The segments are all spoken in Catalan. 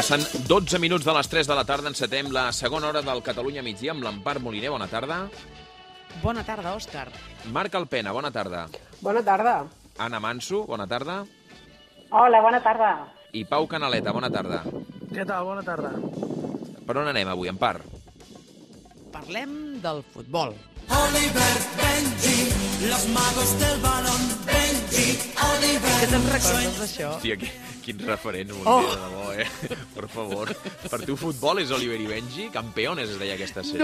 Passen 12 minuts de les 3 de la tarda, encetem la segona hora del Catalunya migdia amb l'Empar Moliner. Bona tarda. Bona tarda, Òscar. Marc Alpena, bona tarda. Bona tarda. Anna Manso, bona tarda. Hola, bona tarda. I Pau Canaleta, bona tarda. Què tal? Bona tarda. Per on anem avui, Empar? Parlem del futbol. Oliver, Benji, los magos del balón, Benji, Oliver. Que te'n recordes d'això? Hòstia, quins referents, Montero, de debò, Per favor. Per tu futbol és Oliver i Benji? Campeones es deia aquesta sèrie.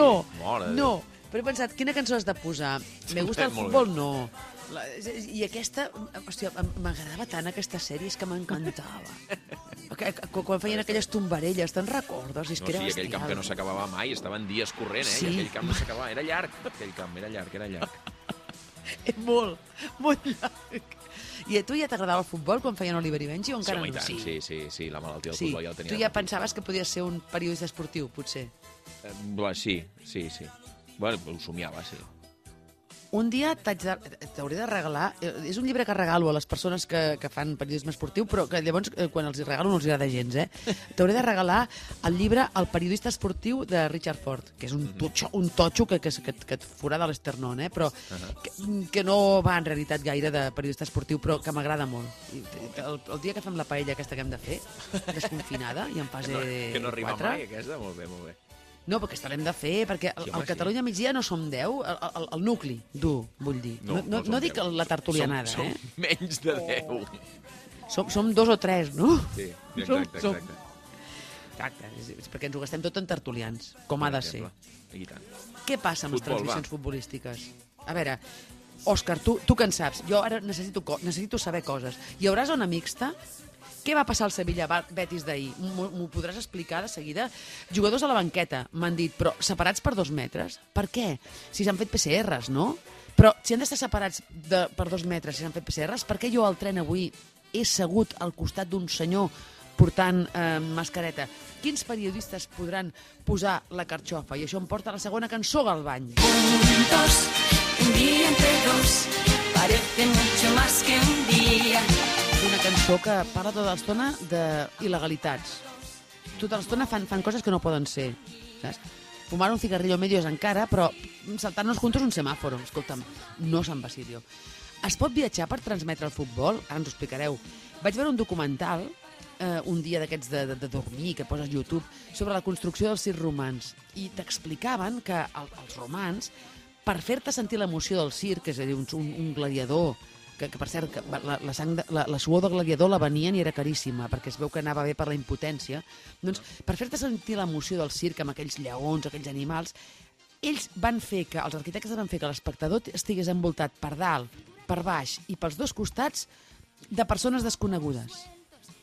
No. Però he pensat, quina cançó has de posar? Me gusta el futbol? No. I aquesta, hòstia, m'agradava tant aquesta sèrie, és que m'encantava. Quan feien aquelles tombarelles, te'n recordes? És que era aquell camp que no s'acabava mai, estaven dies corrent, Sí. I aquell camp no s'acabava. Era llarg, aquell camp, era llarg. Molt llarg. I a tu ja t'agradava el futbol quan feien Oliver i Benji o encara Sí, no? Sí, la malaltia del futbol ja el tenia. Tu ja pensaves que podies ser un periodista esportiu, potser? Sí. Bueno, ho somiava, sí. Un dia t'hauré de regalar... És un llibre que regalo a les persones que fan periodisme esportiu, però que llavors, quan els hi regalo, no els agrada gens, T'hauré de regalar el llibre El periodista esportiu de Richard Ford, que és un totxo que et forada l'esternón, però que no va en realitat gaire de periodista esportiu, però que m'agrada molt. El dia que fem la paella aquesta que hem de fer, desconfinada, i en fase 4... Que no arriba mai, aquesta? Molt bé. No, perquè l'hem de fer, perquè al Catalunya migdia no som 10, el nucli dur, vull dir. No dic la tertulianada, Som menys de 10. Som 2 o 3, no? Sí, exacte. Exacte, és perquè ens ho gastem tot en tertulians, com ha de ser. I tant. Què passa amb les transmissions futbolístiques? A veure, Òscar, tu que en saps? Jo ara necessito saber coses. Hi haurà zona mixta? Què va passar al Sevilla-Betis d'ahir? M'ho podràs explicar de seguida? Jugadors a la banqueta, m'han dit, però separats per 2 metres? Per què? Si s'han fet PCRs, no? Però si han d'estar separats per 2 metres, si s'han fet PCRs, per què jo al tren avui he segut al costat d'un senyor portant mascareta? Quins periodistes podran posar la carxofa? I això em porta a la segona cançó, Galvany. Juntos, un día entre dos, parece mucho más que un día. Una cançó que parla tota l'estona d'il·legalitats. Tota l'estona fan coses que no poden ser. Saps? Fumar un cigarrillo medio és encara, però saltar-nos juntos un semàforo. Escolta'm, no se'n Basilio. Es pot viatjar per transmetre el futbol? Ara ens ho explicareu. Vaig veure un documental un dia d'aquests de dormir, que poses YouTube, sobre la construcció dels circs romans. I t'explicaven que els romans, per fer-te sentir l'emoció del circ, és a dir, un gladiador, que per cert, la suor de gladiador la venien i era caríssima, perquè es veu que anava bé per la impotència. Doncs, per fer-te sentir l'emoció del circ amb aquells lleons, aquells animals, els arquitectes van fer que l'espectador estigués envoltat per dalt, per baix i pels dos costats de persones desconegudes,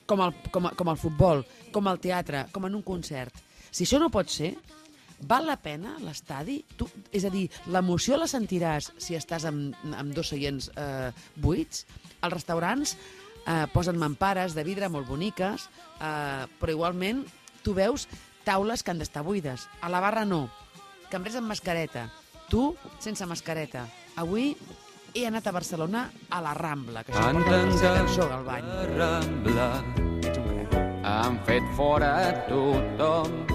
com el futbol, com el teatre, com en un concert. Si això no pot ser, val la pena l'estadi? És a dir, l'emoció la sentiràs si estàs amb 2 seients buits. Els restaurants posen mampares de vidre molt boniques, però igualment tu veus taules que han d'estar buides. A la barra no. Cambrers amb mascareta. Tu, sense mascareta. Avui he anat a Barcelona a la Rambla, que això porta la tercera cançó, Galvany. Rambla, han fet fora tothom.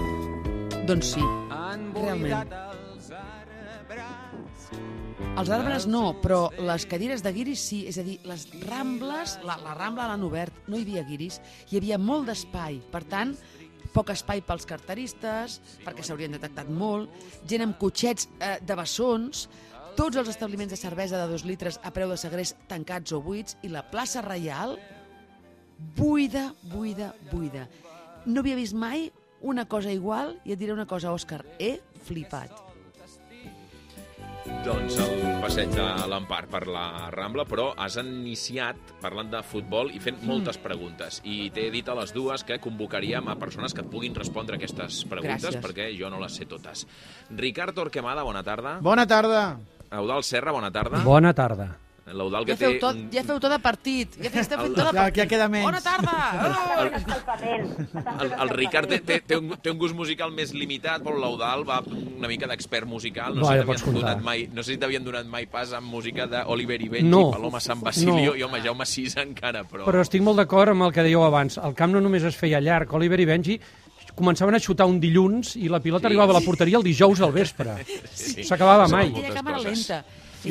Doncs sí, realment. Els arbres no, però les cadires de guiris sí. És a dir, les Rambles, la Rambla l'han obert, no hi havia guiris, hi havia molt d'espai. Per tant, poc espai pels carteristes, perquè s'haurien detectat molt, gent amb cotxets de bessons, tots els establiments de cervesa de 2 litres a preu de segrest tancats o buits, i la plaça Reial buida. No havia vist mai una cosa igual, i et diré una cosa, Òscar, he flipat. Doncs el passeig de l'Empar per la Rambla, però has iniciat parlant de futbol i fent moltes preguntes. I t'he dit a les dues que convocaríem a persones que et puguin respondre aquestes preguntes, Gràcies. perquè jo no les sé totes. Ricard Torquemada, bona tarda. Bona tarda. Eudald Serra, bona tarda. Bona tarda. L'Eudal que Ja feu tot de partit. Ja estem fent tot de partit. Ja queda menys. Bona tarda! El Ricard té un gust musical més limitat, però l'Eudal va una mica d'expert musical. No sé si t'havien donat mai pas amb música d'Oliver i Benji, Paloma San Basilio i, home, Jaume VI encara, però... Però estic molt d'acord amb el que dèieu abans. El camp no només es feia llarg. Oliver i Benji començaven a xutar un dilluns i la pilota arribava a la porteria el dijous al vespre. S'acabava mai. Aquella càmera lenta. I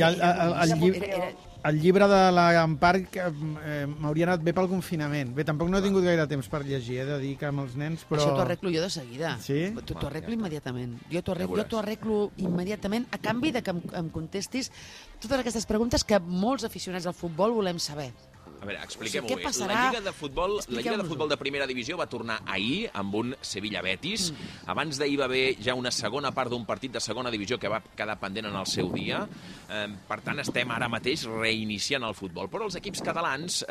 el llibre de l'Empar m'hauria anat bé pel confinament. Bé, tampoc no he tingut gaire temps per llegir, he de dir que amb els nens, però... Això t'ho arreglo jo de seguida. Sí? T'ho arreglo immediatament. Jo t'ho arreglo immediatament a canvi de que em contestis totes aquestes preguntes que molts aficionats al futbol volem saber. A veure, expliquem-ho Què bé. passarà? La Lliga de Futbol de Primera Divisió va tornar ahir amb un Sevilla-Betis. Abans d'ahir va haver ja una segona part d'un partit de segona divisió que va quedar pendent en el seu dia. Per tant, estem ara mateix reiniciant el futbol. Però els equips catalans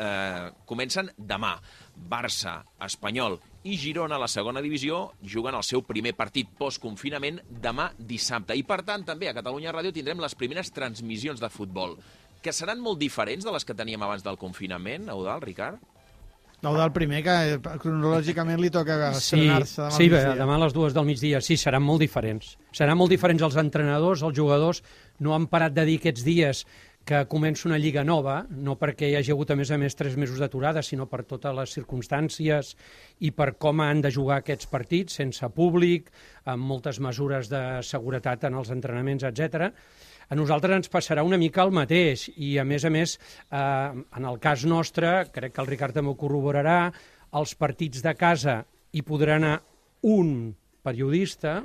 comencen demà. Barça, Espanyol i Girona, a la segona divisió, juguen el seu primer partit post-confinament demà dissabte. I, per tant, també a Catalunya Ràdio tindrem les primeres transmissions de futbol, que seran molt diferents de les que teníem abans del confinament, Eudal, Ricard? L'Eudal primer, que cronològicament li toca estrenar-se demà al migdia. Demà a les 2 del migdia. Sí, seran molt diferents. Seran molt diferents els entrenadors, els jugadors. No han parat de dir aquests dies que comença una lliga nova, no perquè hi hagi hagut, a més 3 mesos d'aturada, sinó per totes les circumstàncies i per com han de jugar aquests partits, sense públic, amb moltes mesures de seguretat en els entrenaments, etc. A nosaltres ens passarà una mica el mateix i, a més, en el cas nostre, crec que el Ricard també ho corroborarà, els partits de casa hi podrà anar un periodista,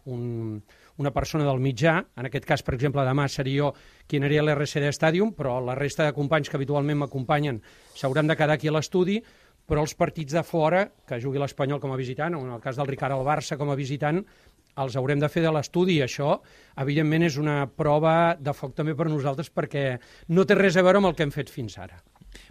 una persona del mitjà, en aquest cas, per exemple, demà seria jo qui aniria a l'RCD Stadium, però la resta de companys que habitualment m'acompanyen s'hauran de quedar aquí a l'estudi, però els partits de fora, que jugui l'Espanyol com a visitant, o en el cas del Ricard el Barça com a visitant, els haurem de fer de l'estudi. Això, evidentment, és una prova de foc també per nosaltres perquè no té res a veure amb el que hem fet fins ara.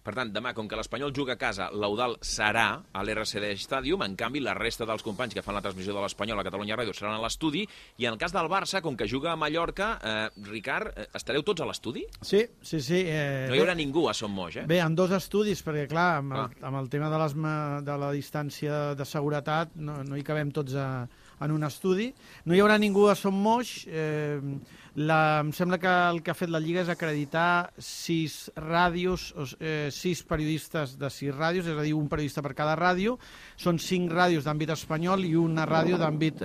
Per tant, demà, com que l'Espanyol juga a casa, l'Eudal serà a l'RCD Stadium, en canvi, la resta dels companys que fan la transmissió de l'Espanyol a Catalunya Ràdio seran a l'estudi, i en el cas del Barça, com que juga a Mallorca, Ricard, estareu tots a l'estudi? Sí. No hi haurà ningú a Som Moix, eh? Bé, en 2 estudis, perquè, clar, amb el tema de la distància de seguretat no hi cabem tots en un estudi. No hi haurà ningú a Som Moix. Em sembla que el que ha fet la Lliga és acreditar 6 ràdios, 6 periodistes de 6 ràdios, és a dir, un periodista per cada ràdio. Són 5 ràdios d'àmbit espanyol i una ràdio d'àmbit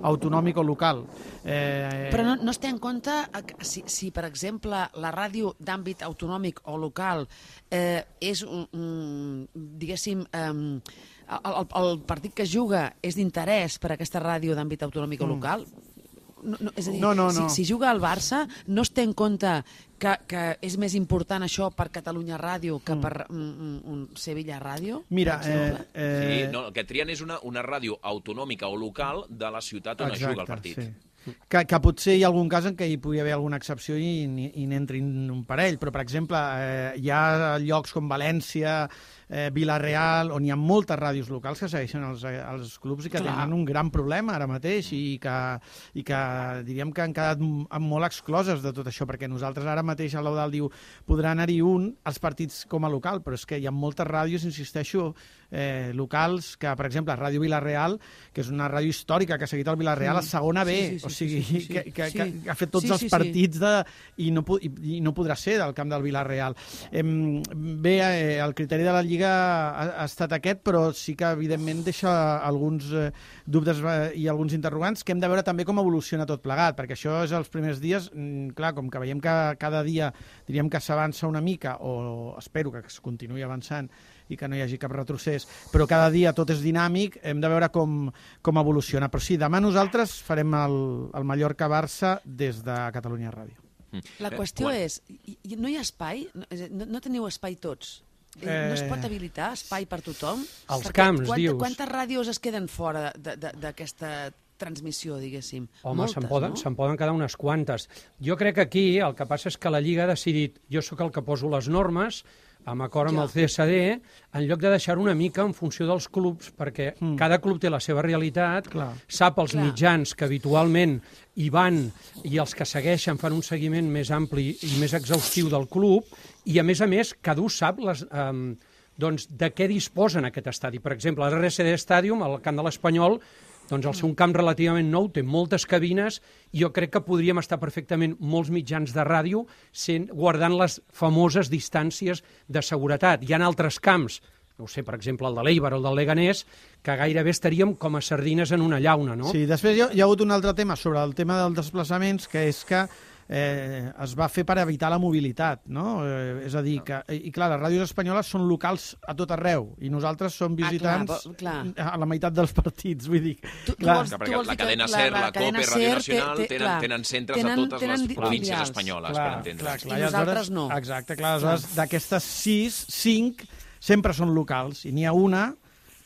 autonòmic o local. Però no es té en compte si, per exemple, la ràdio d'àmbit autonòmic o local és, diguéssim, el partit que es juga és d'interès per a aquesta ràdio d'àmbit autonòmic o local? És a dir, no. Si juga al Barça, no es té en compte que és més important això per Catalunya Ràdio que per Sevilla Ràdio? Mira, el que trien és una ràdio autonòmica o local de la ciutat on es juga el partit. Sí. Que potser hi ha algun cas en què hi pugui haver alguna excepció i n'entrin un parell, però, per exemple, hi ha llocs com València, Vila-real, on hi ha moltes ràdios locals que segueixen els clubs i que tenen un gran problema ara mateix i que diríem que han quedat molt excloses de tot això, perquè nosaltres ara mateix a l'Eudal diu podrà anar-hi els partits com a local, però és que hi ha moltes ràdios, insisteixo, locals, que, per exemple, Ràdio Vila-real, que és una ràdio històrica que ha seguit el Vila-real a segona B, o sigui, que ha fet tots els partits i no podrà ser del camp del Vila-real. Bé, el criteri de la Lliga ha estat aquest, però sí que, evidentment, deixa alguns dubtes i alguns interrogants que hem de veure també com evoluciona tot plegat, perquè això és els primers dies, clar, com que veiem que cada dia diríem que s'avança una mica, o espero que es continuï avançant i que no hi hagi cap retrocés, però cada dia tot és dinàmic, hem de veure com evoluciona. Però sí, demà nosaltres farem el Mallorca-Barça des de Catalunya Ràdio. La qüestió és, no hi ha espai? No teniu espai tots? No es pot habilitar espai per tothom? Els camps, dius. Quantes ràdios es queden fora d'aquesta transmissió, diguéssim? Home, se'n poden quedar unes quantes. Jo crec que aquí el que passa és que la Lliga ha decidit, jo sóc el que poso les normes, amb acord amb el CSD, en lloc de deixar una mica en funció dels clubs, perquè cada club té la seva realitat, sap els mitjans que habitualment hi van i els que segueixen fan un seguiment més ampli i més exhaustiu del club, i a més, cada un sap doncs, de què disposen aquest estadi. Per exemple, l'RCD Stadium, al camp de l'Espanyol, doncs el seu camp relativament nou, té moltes cabines, i jo crec que podríem estar perfectament molts mitjans de ràdio guardant les famoses distàncies de seguretat. Hi ha altres camps, no ho sé, per exemple, el de l'Eibar o el del Leganés, que gairebé estaríem com a sardines en una llauna, no? Sí, després hi ha hagut un altre tema sobre el tema dels desplaçaments, que és que es va fer per evitar la mobilitat, no? És a dir, que, i clar, les ràdios espanyoles són locals a tot arreu, i nosaltres som visitants a la meitat dels partits, vull dir... Perquè la cadena SER, la COPE, Ràdio Nacional, tenen centres a totes les províncies espanyoles, per entendre'ns. I nosaltres no. Exacte, clar, aleshores, d'aquestes 6, 5 sempre són locals, i n'hi ha una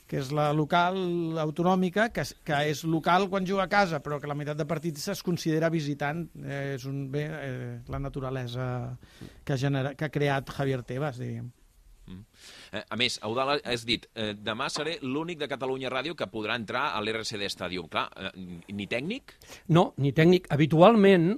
que és la local autonòmica, que és local quan juga a casa, però que la meitat de partits es considera visitant. És la naturalesa que ha creat Javier Tebas, diríem. A més, Eudald, has dit, demà seré l'únic de Catalunya Ràdio que podrà entrar a l'RCD Stadium. Clar, ni tècnic? No, ni tècnic. Habitualment,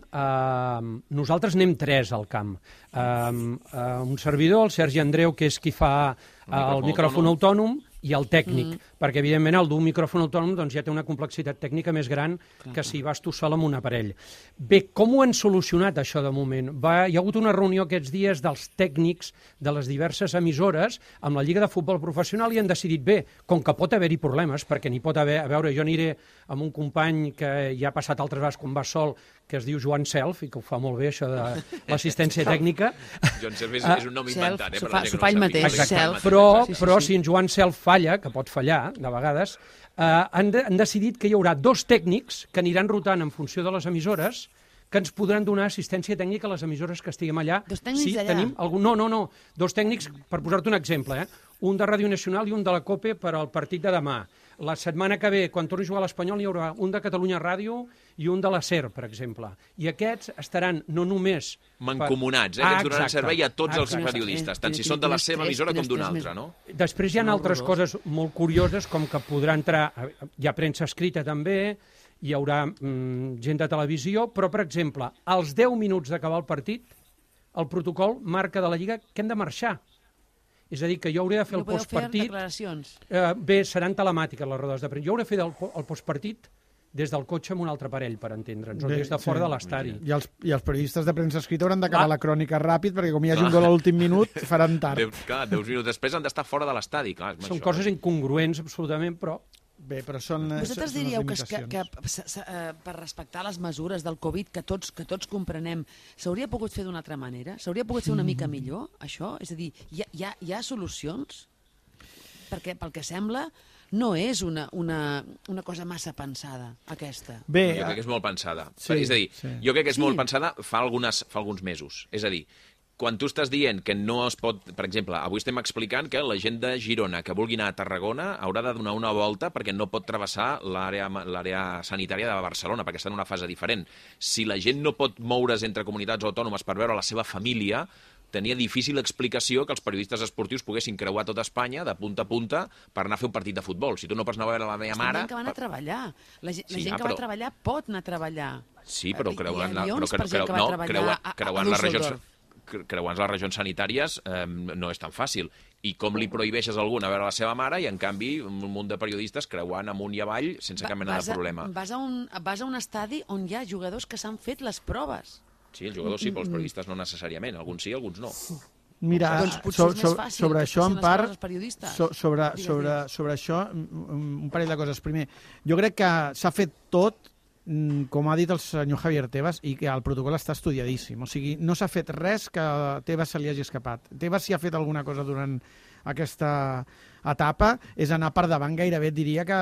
nosaltres anem 3 al camp. Un servidor, el Sergi Andreu, que és qui fa el micròfon autònom, i el tècnic, perquè evidentment el d'un micròfon autònom doncs, ja té una complexitat tècnica més gran que si vas tu sol amb un aparell. Bé, com ho han solucionat això de moment? Hi ha hagut una reunió aquests dies dels tècnics de les diverses emissores amb la Lliga de Futbol Professional i han decidit, bé, com que pot haver-hi problemes, perquè n'hi pot haver, a veure, jo aniré amb un company que ja ha passat altres vegades quan va sol, que es diu Joan Self, i que ho fa molt bé, això de l'assistència tècnica. Joan Self és un nom inventat, per la gent que no mateix, Self. Però si en Joan Self falla, que pot fallar, de vegades, han decidit que hi haurà 2 tècnics que aniran rotant en funció de les emissores que ens podran donar assistència tècnica a les emissores que estiguem allà. 2 tècnics allà? Tenim algun... No. 2 tècnics, per posar-te un exemple, un de Ràdio Nacional i un de la COPE per al partit de demà. La setmana que ve, quan torni a jugar a l'Espanyol, hi haurà un de Catalunya Ràdio i un de la SER, per exemple. I aquests estaran no només... mancomunats, que ens donaran servei a tots els periodistes, tant si són de la seva emissora com d'una altra, no? Després hi ha altres coses molt curioses, com que podrà entrar... Hi ha premsa escrita també, hi haurà gent de televisió, però, per exemple, als 10 minuts d'acabar el partit, el protocol marca de la Lliga que hem de marxar. És a dir, que jo hauré de fer el postpartit... No podeu fer declaracions? Bé, seran telemàtiques les rodes de premsa. Jo hauré de fer el postpartit des del cotxe amb un altre aparell, per entendre'ns, o des de fora de l'estadi. I els periodistes de premsa escrita hauran d'acabar la crònica ràpid, perquè com hi hagi un gol a l'últim minut, faran tard. 10 minuts després han d'estar fora de l'estadi. Són coses incongruents, absolutament, però... Bé, però són vosaltres diríeu que per respectar les mesures del Covid que tots comprenem, s'hauria pogut fer d'una altra manera? S'hauria pogut fer una mica millor, això? És a dir, hi ha solucions? Perquè, pel que sembla, no és una cosa massa pensada, aquesta. Bé, jo crec que és molt pensada. És a dir, jo crec que és molt pensada fa alguns mesos. És a dir, quan tu estàs dient que no es pot... Per exemple, avui estem explicant que la gent de Girona que vulgui anar a Tarragona haurà de donar una volta perquè no pot travessar l'àrea sanitària de Barcelona, perquè està en una fase diferent. Si la gent no pot moure's entre comunitats autònomes per veure la seva família, tenia difícil explicació que els periodistes esportius poguessin creuar tota Espanya de punta a punta per anar a fer un partit de futbol. Si tu no pots anar a veure la meva mare... La gent que va anar a treballar. La gent que va a treballar pot anar a treballar. Sí, però creuant les regions sanitàries no és tan fàcil. I com li prohibeixes a algú a veure la seva mare i, en canvi, un munt de periodistes creuant amunt i avall sense cap mena de problema. Vas a un estadi on hi ha jugadors que s'han fet les proves. Sí, els jugadors sí, però els periodistes no necessàriament. Alguns sí, alguns no. Mira, sobre això, en part, sobre això, un parell de coses. Primer, jo crec que s'ha fet tot, com ha dit el senyor Javier Tebas, i que el protocol està estudiadíssim. O sigui, no s'ha fet res que a Tebas se li hagi escapat. Tebas, si ha fet alguna cosa durant aquesta etapa, és anar per davant, gairebé et diria que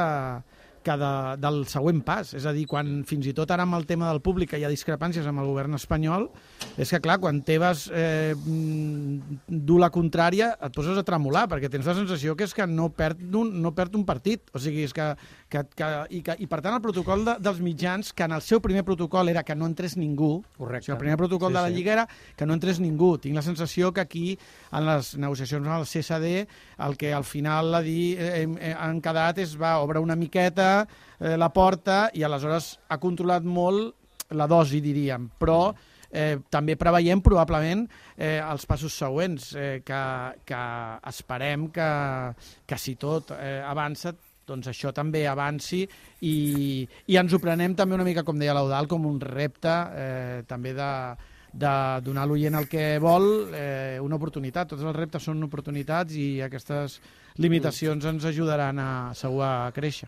del següent pas. És a dir, quan fins i tot ara amb el tema del públic hi ha discrepàncies amb el govern espanyol, és que, clar, quan Tebas du la contrària, et poses a tremolar, perquè tens la sensació que és que no perd un partit. O sigui, és que I per tant el protocol dels mitjans, que en el seu primer protocol era que no entrés ningú, Correcte. o sigui, el primer protocol de la Lliga era que no entrés ningú. Tinc la sensació que aquí, en les negociacions amb el CSD, el que al final han quedat és obre una miqueta la porta i aleshores ha controlat molt la dosi, diríem, però també preveiem probablement els passos següents, que esperem que si tot avança, doncs això també avanci i ens ho prenem també una mica, com deia l'Eudald, com un repte també de donar a l'oient el que vol, una oportunitat. Tots els reptes són oportunitats i aquestes limitacions ens ajudaran segur a créixer.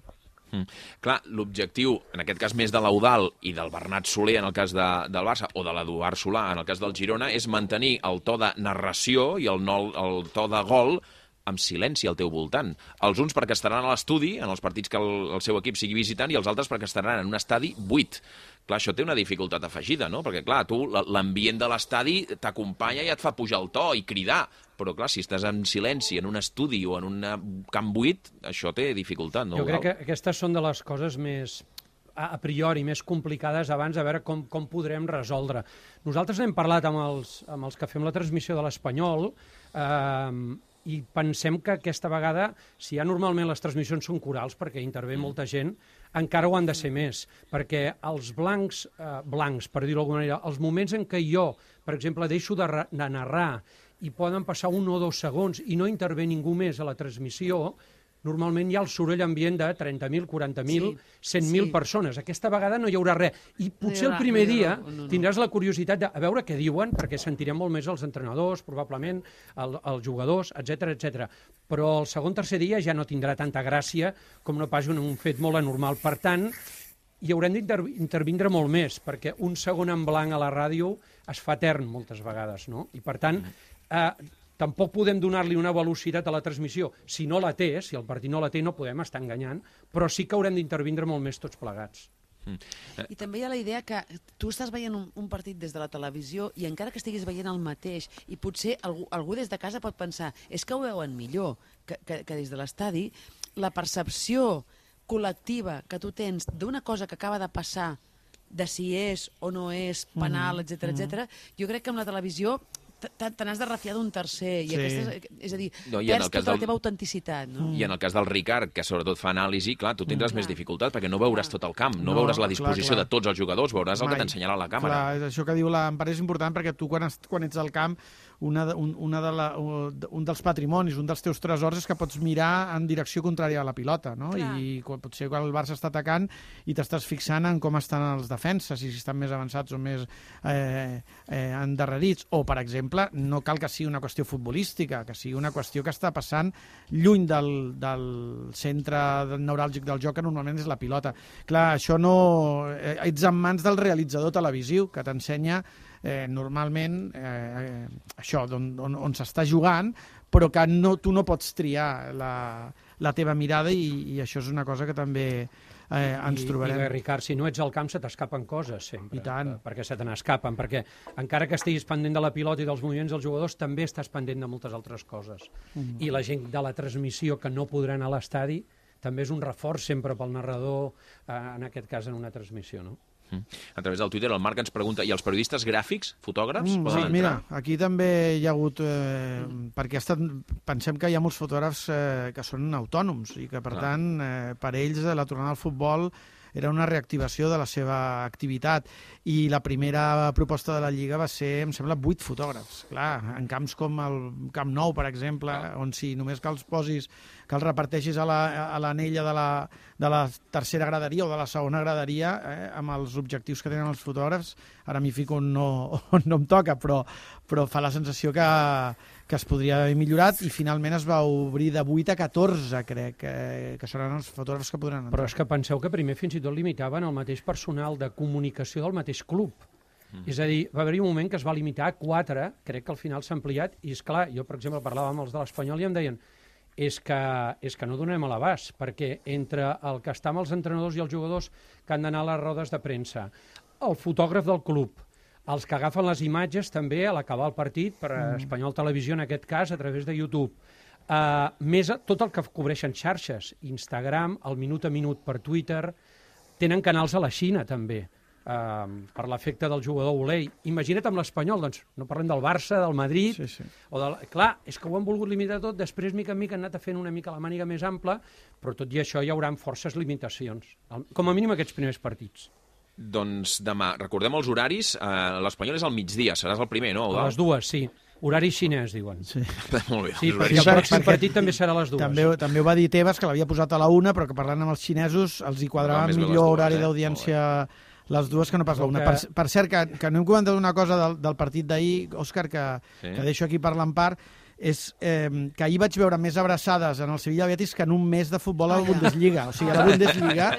Clar, l'objectiu, en aquest cas més de l'Eudald i del Bernat Soler en el cas del Barça, o de l'Eduard Solà en el cas del Girona, és mantenir el to de narració i el to de gol amb silenci al teu voltant. Els uns perquè estaran a l'estudi, en els partits que el seu equip sigui visitant, i els altres perquè estaran en un estadi buit. Clar, això té una dificultat afegida, no? Perquè, clar, tu, l'ambient de l'estadi t'acompanya i et fa pujar el to i cridar. Però, clar, si estàs en silenci, en un estudi o en un camp buit, això té dificultat, no? Jo crec que aquestes són de les coses més a priori més complicades abans de veure com podrem resoldre. Nosaltres n'hem parlat amb els que fem la transmissió de l'Espanyol i pensem que aquesta vegada, si ja normalment les transmissions són corals perquè intervé molta gent, encara ho han de ser més, perquè els blancs, per dir-ho d'alguna manera, els moments en què jo, per exemple, deixo de narrar i poden passar 1 o 2 segons i no intervé ningú més a la transmissió, normalment hi ha el soroll ambient de 30.000, 40.000, 100.000 persones. Aquesta vegada no hi haurà res. I potser el primer dia tindràs la curiositat de veure què diuen, perquè sentirem molt més els entrenadors, probablement, els jugadors, etc. Però el segon, tercer dia ja no tindrà tanta gràcia com no pas un fet molt anormal. Per tant, hi haurem d'intervindre molt més, perquè un segon en blanc a la ràdio es fa etern moltes vegades, no? I per tant, tampoc podem donar-li una velocitat a la transmissió. Si no la té, si el partit no la té, no podem estar enganyant, però sí que haurem d'intervindre molt més tots plegats. I també hi ha la idea que tu estàs veient un partit des de la televisió i encara que estiguis veient el mateix i potser algú des de casa pot pensar és que ho veuen millor que des de l'estadi, la percepció col·lectiva que tu tens d'una cosa que acaba de passar, de si és o no és penal, etc., jo crec que amb la televisió te n'has de refiar d'un tercer, i és a dir, perds tota la teva autenticitat. No? I en el cas del Ricard, que sobretot fa anàlisi, clar, tu tindràs més dificultat, perquè no veuràs tot el camp, no veuràs la disposició de tots els jugadors, veuràs el que t'ensenyarà la càmera. Clar, això que diu l'Empar és important, perquè tu quan ets al camp, un dels patrimonis, un dels teus tresors és que pots mirar en direcció contrària a la pilota, no? I potser quan el Barça està atacant i t'estàs fixant en com estan els defenses, si estan més avançats o més endarrerits, o, per exemple, no cal que sigui una qüestió futbolística, que sigui una qüestió que està passant lluny del centre neuràlgic del joc, que normalment és la pilota. Clar, això no... Ets en mans del realitzador televisiu, que t'ensenya normalment això, on s'està jugant, però que tu no pots triar la teva mirada i això és una cosa que també ens trobarem. I Ricard, si no ets al camp se t'escapen coses sempre. I tant. Perquè se te n'escapen, perquè encara que estiguis pendent de la pilota i dels moviments dels jugadors, també estàs pendent de moltes altres coses. I la gent de la transmissió que no podrà anar a l'estadi també és un reforç sempre pel narrador, en aquest cas en una transmissió, no? A través del Twitter el Marc ens pregunta, i els periodistes gràfics, fotògrafs, poden entrar? Mira, aquí també hi ha hagut... perquè pensem que hi ha molts fotògrafs que són autònoms i que, per tant, per ells la tornada al futbol era una reactivació de la seva activitat i la primera proposta de la Lliga va ser, em sembla, 8 fotògrafs. Clar, en camps com el Camp Nou, per exemple, on si només que els posis, que els reparteixis a l'anella de la tercera graderia o de la segona graderia, amb els objectius que tenen els fotògrafs, ara m'hi fico on no em toca, però fa la sensació que es podria haver millorat i finalment es va obrir de 8 a 14, crec, que seran els fotògrafs que podran entrar. Però és que penseu que primer fins i tot limitaven el mateix personal de comunicació del mateix club. És a dir, va haver-hi un moment que es va limitar a 4, crec que al final s'ha ampliat, i és clar, jo per exemple parlava amb els de l'Espanyol i em deien és que no donem a l'abast, perquè entre el que està amb els entrenadors i els jugadors que han d'anar a les rodes de premsa, el fotògraf del club, els que agafen les imatges també a l'acabar el partit per Espanyol Televisió, en aquest cas, a través de YouTube, més tot el que cobreixen xarxes, Instagram, el minut a minut per Twitter, tenen canals a la Xina també, per l'efecte del jugador Olei. Imagina't amb l'Espanyol, doncs no parlem del Barça, del Madrid, o del... Clar, és que ho han volgut limitar tot, després mica en mica han anat fent una mica la màniga més ampla, però tot i això hi haurà forces limitacions, com a mínim aquests primers partits. Doncs demà, recordem els horaris, l'Espanyol és al migdia, seràs el primer, no? A les 2, sí. Horari xinès, diuen. Sí. Molt bé. Sí, perquè el pròxim partit també serà a les 2. També ho va dir Tebas, que l'havia posat a la 1, però que parlant amb els xinesos els hi quadrava millor horari d'audiència les 2 que no pas la 1. Per cert, que no hem comentat una cosa del partit d'ahir, Òscar, que deixo aquí per l'Empar, és que ahir vaig veure més abraçades en el Sevilla Betis que en un mes de futbol a la Bundesliga. O sigui, a la Bundesliga,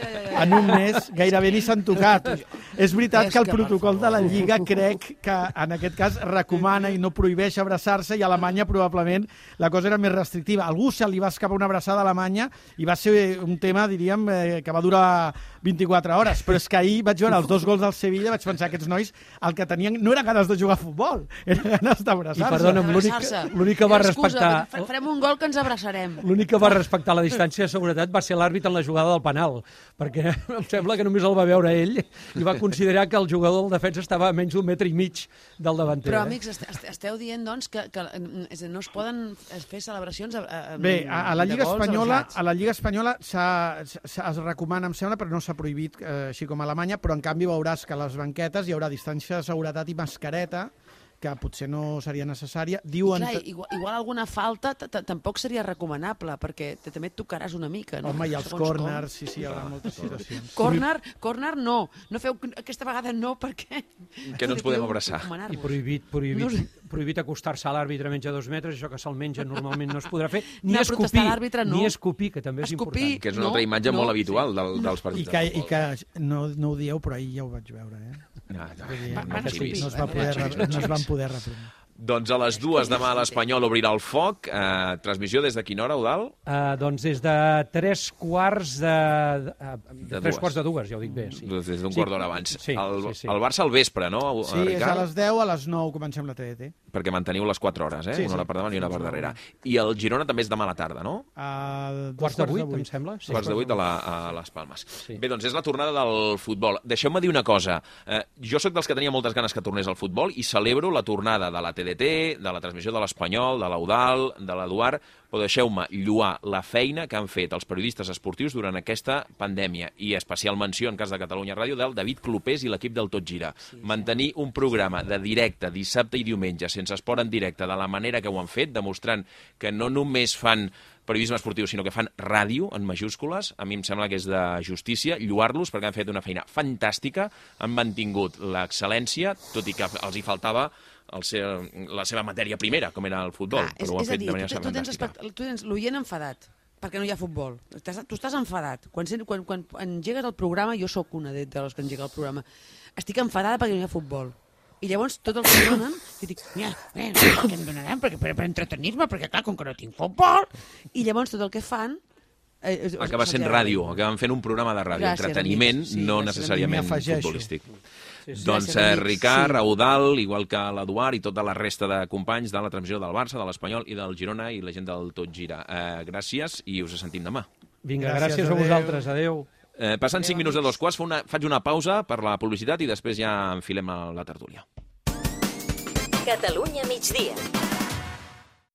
en un mes, gairebé ni s'han tocat. És veritat que el protocol de la Lliga crec que en aquest cas recomana i no prohibeix abraçar-se, i a Alemanya probablement la cosa era més restrictiva. A algú se li va escapar una abraçada a Alemanya i va ser un tema, diríem, que va durar 24 hores. Però és que ahir vaig veure els 2 gols del Sevilla, vaig pensar que aquests nois el que tenien no eren ganes de jugar a futbol, eren ganes d'abraçar-se. I perdona'm, l'únic que va respectar... Farem un gol que ens abraçarem. L'únic que va respectar la distància de seguretat va ser l'àrbitre en la jugada del penal, perquè em sembla que només el va veure ell i va considerar que el jugador del defensa estava a menys d'un metre i mig del davanter. Però, amics, esteu dient, doncs, que no es poden fer celebracions Bé, a la Lliga Espanyola es recomana, em sembla, però no s'ha prohibit, així com a Alemanya, però en canvi veuràs que a les banquetes hi haurà distància de seguretat i mascareta, que potser no seria necessària. Diuen... Clar, igual alguna falta tampoc seria recomanable, perquè també et tocaràs una mica. No? Home, i els corners, sí, hi haurà moltes situacions. Corner no. No feu aquesta vegada no, perquè... Que no ens podem abraçar. I prohibit acostar-se a l'àrbitre menys a 2 metres, això que se'l menja normalment no es podrà fer. Ni escopir, que també és important. Que és una altra imatge molt habitual dels partits. I que no ho dieu, però ahir ja ho vaig veure, No es van poder reprimir. Doncs a les 2 demà l'Espanyol obrirà el foc. Transmissió des de quina hora, Eudald? Doncs des de 3 quarts de 2, ja ho dic bé. Sí. Des d'un quart d'hora abans. El Barça al vespre, no, Sí, és a les 10, a les 9 comencem la TDT. Perquè manteniu les 4 hores, una hora per davant i una per darrere. I el Girona també és demà a la tarda, no? Quarts de 8, em sembla. Quarts de 8 a les Palmes. Bé, doncs és la tornada del futbol. Deixeu-me dir una cosa. Jo sóc dels que tenia moltes ganes que tornés al futbol i celebro la tornada de la TDT, de la transmissió de l'Espanyol, de l'Eudald, de l'Eduard, però deixeu-me lloar la feina que han fet els periodistes esportius durant aquesta pandèmia, i especial menció, en cas de Catalunya Ràdio, del David Clopés i l'equip del Tot Gira. Mantenir un programa de directe dissabte i diumenge, sense esport en directe, de la manera que ho han fet, demostrant que no només fan periodisme esportiu, sinó que fan ràdio, en majúscules, a mi em sembla que és de justícia lloar-los, perquè han fet una feina fantàstica, han mantingut l'excel·lència, tot i que els hi faltava la seva matèria primera, com era el futbol, però ho han fet de manera fantàstica. Tu tens l'oient enfadat, perquè no hi ha futbol. Tu estàs enfadat. Quan engegues el programa, jo sóc una de les que engega el programa, estic enfadada perquè no hi ha futbol. I llavors tot el que em donen, jo dic, mira, què em donaran per entretenir-me, perquè clar, com que no tinc futbol, i llavors tot el que fan... Acaba sent ràdio, acaben fent un programa de ràdio, entreteniment, no necessàriament futbolístic. Doncs Ricard, Eudald, igual que l'Eduard i tota la resta de companys de la transmissió del Barça, de l'Espanyol i del Girona i la gent del Tot Gira. Gràcies i us sentim demà. Vinga, gràcies a vosaltres, adeu. Passant 5 minuts de 2:15, faig una pausa per la publicitat i després ja enfilem a la tertúlia. Catalunya migdia.